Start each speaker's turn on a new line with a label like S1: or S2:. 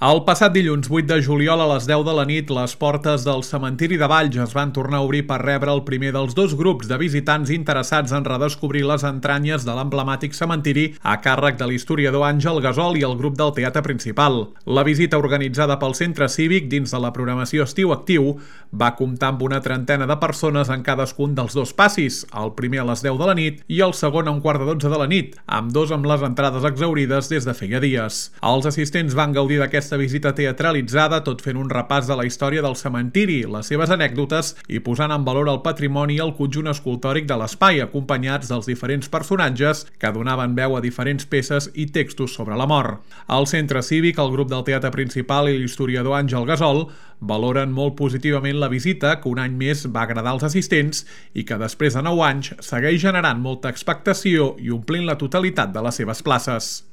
S1: El passat dilluns 8 de juliol a les 10 de la nit, les portes del cementiri de Valls es van tornar a obrir per rebre el primer dels dos grups de visitants interessats en redescobrir les entranyes de l'emblemàtic cementiri a càrrec de l'historiador Àngel Gasol i el grup del Teatre Principal. La visita organitzada pel Centre Cívic dins de la programació Estiu Actiu va comptar amb una trentena de persones en cadascun dels dos passis, el primer a les 10 de la nit i el segon a un quart de 12 de la nit, amb dos amb les entrades exhaurides des de feia dies. Els assistents van gaudir d'aquesta visita teatralitzada, tot fent un repàs de la història del cementiri, les seves anècdotes i posant en valor el patrimoni i el conjunt escultòric de l'espai, acompanyats dels diferents personatges que donaven veu a diferents peces i textos sobre la mort. Al Centre Cívic, el grup del Teatre Principal i l'historiador Àngel Gasol valoren molt positivament la visita, que un any més va agradar als assistents i que després de 9 anys segueix generant molta expectació i omplint la totalitat de les seves places.